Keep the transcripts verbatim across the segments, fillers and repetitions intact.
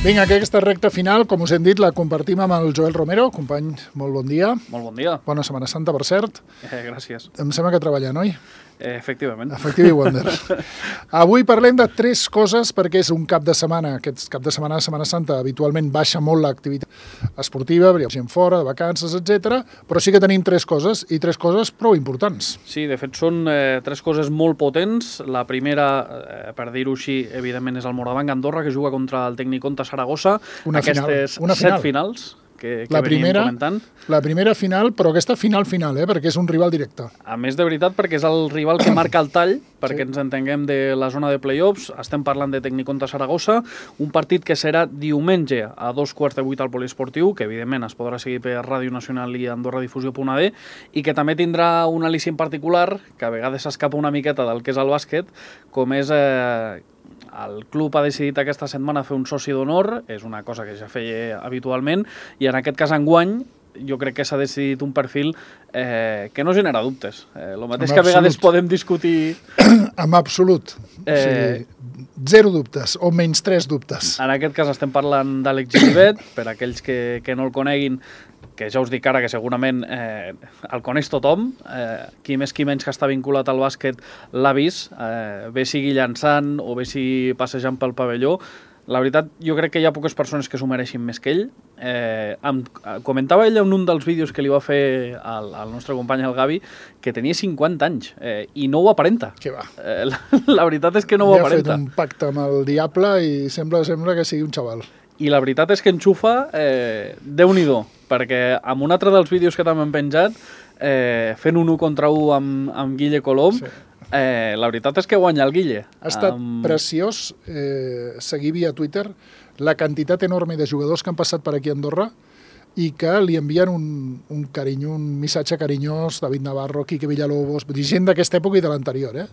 Vinga, aquesta recta final, com us hem dit, la compartim amb el Joel Romero. Company, molt bon dia. Molt bon dia. Bona Setmana Santa, per cert. Eh, gràcies. Em sembla que treballant, oi? Eh, efectivament. Efectivi Wonder. Avui parlem de tres coses, perquè és un cap de setmana. Aquest cap de setmana de Setmana Santa habitualment baixa molt l'activitat esportiva, hi ha gent fora, de vacances, etcètera. Però sí que tenim tres coses, i tres coses prou importants. Sí, de fet són eh, tres coses molt potents. La primera, eh, per dir-ho així, evidentment és el Morabanc Andorra, que juga contra el Tecniconta Saragossa. Una Aquestes final. Una set final. finals que, que la veníem primera, comentant. La primera final, però aquesta final-final, eh, perquè és un rival directe. A més, de veritat, perquè és el rival que marca el tall, perquè Sí. ens entenguem de la zona de play-offs. Estem parlant de Tecniconta Saragossa, un partit que serà diumenge a dos quarts de vuit al Poliesportiu, que evidentment es podrà seguir per Ràdio Nacional i Andorradifusió punt a d, i que també tindrà un al·licient particular, que a vegades s'escapa una miqueta del que és el bàsquet, com és... Eh, el club ha decidit aquesta setmana fer un soci d'honor, és una cosa que ja feia habitualment, i en aquest cas enguany jo crec que s'ha decidit un perfil eh, que no genera dubtes. Eh, el mateix En que a vegades absolut. podem discutir... En absolut. Eh... O sigui, zero dubtes, o menys tres dubtes. En aquest cas estem parlant d'Àlex Giribet, per aquells que, que no el coneguin, que ja us dic ara que segurament eh, el coneix tothom, eh, qui més qui menys que està vinculat al bàsquet l'ha vist, eh, bé sigui llançant o bé sigui passejant pel pavelló. La veritat, jo crec que hi ha poques persones que s'ho mereixin més que ell. Eh, em, comentava ell en un dels vídeos que li va fer al, al nostre company, el Gavi, que tenia cinquanta anys eh, i no ho aparenta. Què va? Eh, la, la veritat és que no ho Ja aparenta. ha fet un pacte amb el diable i sembla, sembla que sigui un xaval. I la veritat és que enxufa, eh, Déu-n'hi-do, perquè amb un altre dels vídeos que també hem penjat, eh, fent un u contra u amb, amb Guille Colom, sí. eh, la veritat és que guanya el Guille. Ha estat um... preciós eh, seguir via Twitter la quantitat enorme de jugadors que han passat per aquí a Andorra i que li envien un, un carinyo, un missatge carinyós, David Navarro, Quique Villalobos, gent d'aquesta època i de l'anterior, eh?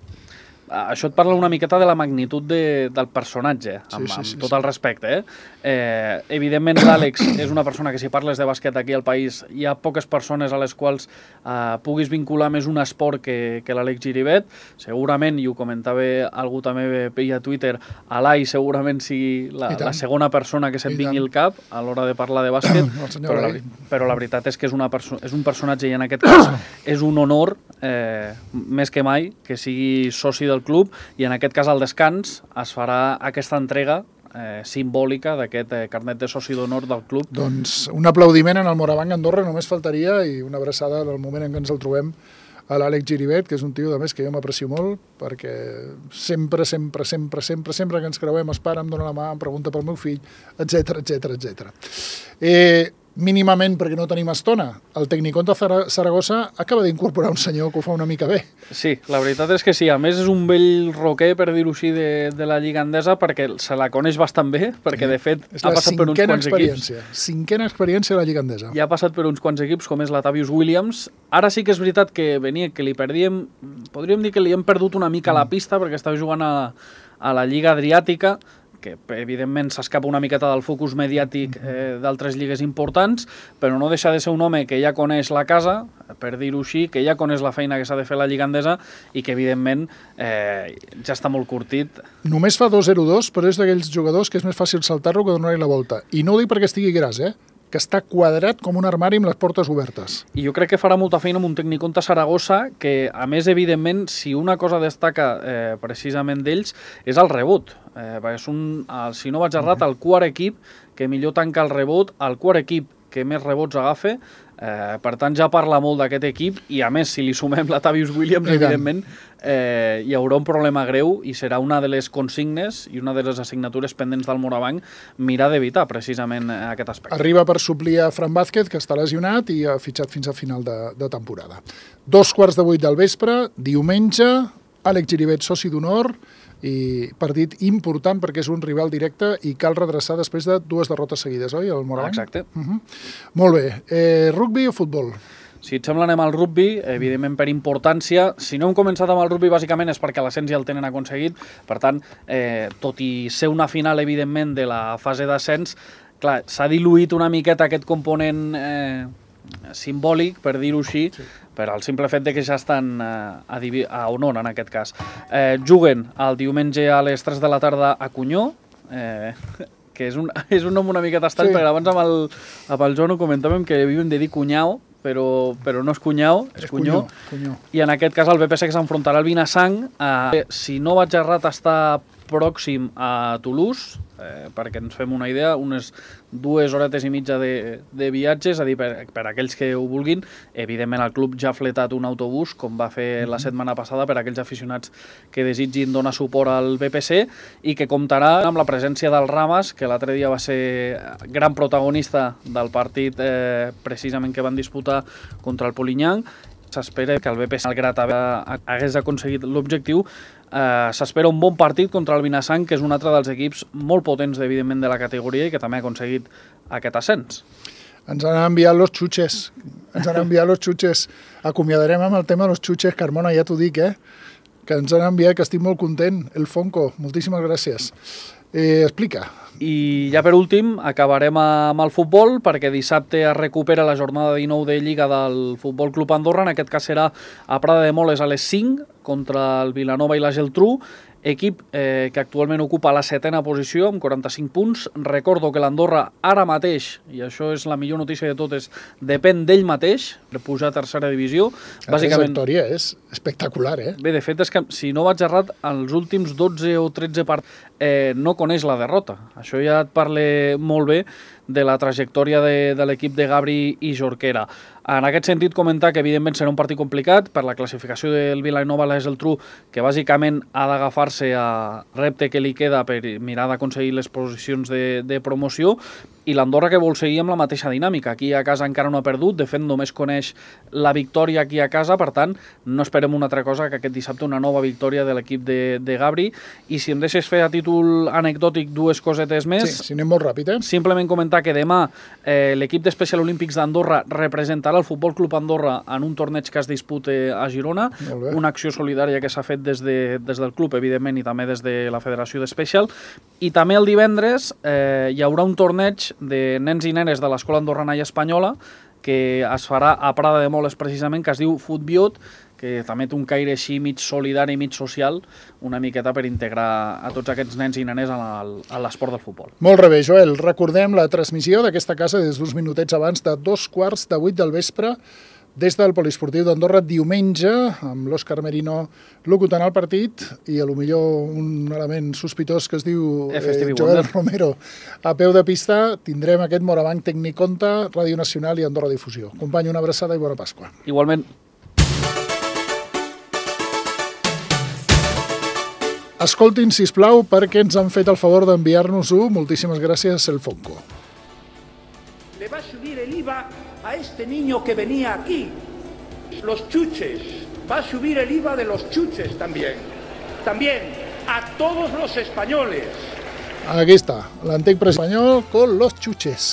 Això et parla una miqueta de la magnitud de, del personatge, amb, sí, sí, sí, amb tot sí. el respecte. Eh? Eh, evidentment, l'Àlex és una persona que, si parles de bàsquet aquí al país, hi ha poques persones a les quals eh, puguis vincular més un esport que, que l'Àlex Giribet. Segurament, i ho comentava algú també via Twitter, Alai segurament sigui la, la segona persona que se't vingui al cap a l'hora de parlar de bàsquet, però, la, però la veritat és que és, una és un personatge i en aquest cas és un honor, eh, més que mai, que sigui soci del club, i en aquest cas al descans es farà aquesta entrega eh, simbòlica d'aquest eh, carnet de soci d'honor del club. Doncs un aplaudiment en el Morabanc Andorra només faltaria, i una abraçada en el moment en què ens el trobem a l'Àlex Giribet, que és un tio de més que jo m'aprecio molt, perquè sempre, sempre, sempre, sempre, sempre que ens creuem es para, em dona la mà, em pregunta pel meu fill, etcètera, etcètera, etcètera. Eh, mínimament, perquè no tenim estona, el Tecniconta Saragossa acaba d'incorporar un senyor que ho fa una mica bé. Sí, la veritat és que sí. A més, és un vell roquer, per dir-ho així, de, de la Lliga Endesa, perquè se la coneix bastant bé, perquè, de fet, és ha passat per uns quants equips. Cinquena experiència de la Lliga Endesa. Ja ha passat per uns quants equips, com és l'Atavius Williams. Ara sí que és veritat que venia, que li perdíem, podríem dir que li hem perdut una mica la pista, perquè estava jugant a, a la Lliga Adriàtica, que evidentment s'escapa una miqueta del focus mediàtic eh, d'altres lligues importants, però no deixa de ser un home que ja coneix la casa, per dir-ho així, que ja coneix la feina que s'ha de fer a la Lliga Endesa i que evidentment eh, ja està molt curtit. Només fa dos zero dos, però és d'aquells jugadors que és més fàcil saltar-lo que donar-hi la volta. I no ho dic perquè estigui gras, eh? Que està quadrat com un armari amb les portes obertes. I jo crec que farà molta feina amb un Tecniconta Saragossa, que, a més, evidentment, si una cosa destaca eh, precisament d'ells, és el rebot. Eh, és un, el, si no vaig errat, el quart equip que millor tanca el rebot, el quart equip que més rebots agafa. Eh, per tant, ja parla molt d'aquest equip, i a més, si li sumem l'Atavius Williams, evidentment, eh, hi haurà un problema greu i serà una de les consignes i una de les assignatures pendents del Morabanc mirar d'evitar precisament aquest aspecte. Arriba per suplir a Fran Vázquez, que està lesionat i ha fitxat fins a final de, de temporada. Dos quarts de vuit del vespre, diumenge, Àlex Giribet, soci d'honor, i partit important perquè és un rival directe i cal redreçar després de dues derrotes seguides, oi, el Morabanc? Exacte. Uh-huh. Molt bé. Eh, rugby o futbol? Si et sembla, anem al rugby, evidentment per importància. Si no hem començat amb el rugby, bàsicament és perquè l'ascens ja el tenen aconseguit. Per tant, eh, tot i ser una final, evidentment, de la fase d'ascens, clar, s'ha diluït una miqueta aquest component eh, simbòlic, per dir-ho així, sí. Per al simple fet de que ja estan eh, a, divi a honor, en aquest cas. Eh, juguen el diumenge a les tres de la tarda a Cunyó, eh, que és un, és un nom una miqueta estrany, sí. perquè abans amb el, amb el Joan ho comentàvem que havíem de dir cunyau, però, però no és cunyau, és, és cunyó. cunyó. I en aquest cas el B P C que s'enfrontarà al Vilassang. Eh, si no vaig errat, està pròxim a Toulouse, eh, perquè ens fem una idea, unes dues horetes i mitja de, de viatge, és a dir, per, per aquells que ho vulguin. Evidentment el club ja ha fletat un autobús, com va fer la setmana passada, per aquells aficionats que desitgin donar suport al B P C, i que comptarà amb la presència del Ramas, que l'altre dia va ser gran protagonista del partit eh, precisament que van disputar contra el Polinyà. S'espera que el B P C, malgrat hagués aconseguit l'objectiu, eh, s'espera un bon partit contra el Vilassang, que és un altre dels equips molt potents, evidentment, de la categoria i que també ha aconseguit aquest ascens. Ens han enviat los xutxes, ens han enviat los xutxes. Acomiadarem amb el tema de los xutxes, Carmona, ja t'ho dic, eh? Que ens han enviat, que estic molt content. El Fonco, moltíssimes gràcies. Eh, explica. I ja per últim acabarem amb el futbol, perquè dissabte es recupera la jornada dinou de Lliga del Futbol Club Andorra. En aquest cas serà a Prada de Moles a les cinc contra el Vilanova i la Geltrú, equip eh, que actualment ocupa la setena posició amb quaranta-cinc punts. Recordo que l'Andorra ara mateix, i això és la millor notícia de totes, depèn d'ell mateix per pujar a tercera divisió. La trajectòria és espectacular, eh? Bé, de fet és que, si no vaig errat, els últims dotze o tretze partits eh, no coneix la derrota. Això ja et parla molt bé de la trajectòria de, de l'equip de Gabri i Jorquera. En aquest sentit, comentar que evidentment serà un partit complicat per la classificació del Vilanova a la Geltrú, que bàsicament ha d'agafar-se a repte que li queda per mirar d'aconseguir les posicions de, de promoció, i l'Andorra que vol seguir amb la mateixa dinàmica. Aquí a casa encara no ha perdut, de fet només coneix la victòria aquí a casa, per tant no esperem una altra cosa que aquest dissabte una nova victòria de l'equip de, de Gabri. I si em deixes fer a títol anecdòtic dues cosetes més... Sí, si anem molt ràpid, eh? Simplement comentar que demà eh, l'equip d'Especial Olímpics d'Andorra representarà el Futbol Club Andorra en un torneig que es disputa a Girona, una acció solidària que s'ha fet des, de, des del club, evidentment, i també des de la Federació d'Especial. I també el divendres eh, hi haurà un torneig de nens i nenes de l'Escola Andorrana i Espanyola que es farà a Prada de Moles precisament, que es diu Futbiot, que també té un caire així mig solidari i mig social, una miqueta per integrar a tots aquests nens i nenes a l'esport del futbol. Molt bé, Joel. Recordem la transmissió d'aquesta casa des d'uns minutets abans de dos quarts de vuit del vespre des del Poliesportiu d'Andorra, diumenge, amb l'Òscar Merino locutant el partit i a lo millor un element sospitós que es diu eh, Joel Romero a peu de pista. Tindrem aquest Morabanc Tecniconta, Ràdio Nacional i Andorra Difusió. Company, una abraçada i bona Pasqua. Igualment. Escoltin, sisplau, perquè ens han fet el favor d'enviar-nos-ho. Moltíssimes gràcies, el Fonco. Le va a subir el I V A a este niño que venía aquí. Los chuches. Va a subir el I V A de los chuches también. También a todos los españoles. Aquí està, l'antic president espanyol con los chuches.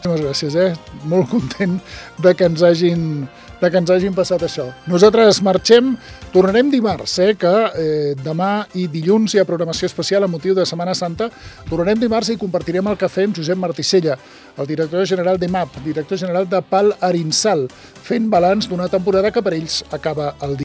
Moltes gràcies, eh? Molt content de que ens hagin... de que ens hagin passat això. Nosaltres marxem, tornarem dimarts, eh, que eh, demà i dilluns hi ha programació especial a motiu de Setmana Santa. Tornarem dimarts i compartirem el cafè amb Josep Marticella, el director general de M A P, director general de Pal Arinsal, fent balanç d'una temporada que per ells acaba el dia.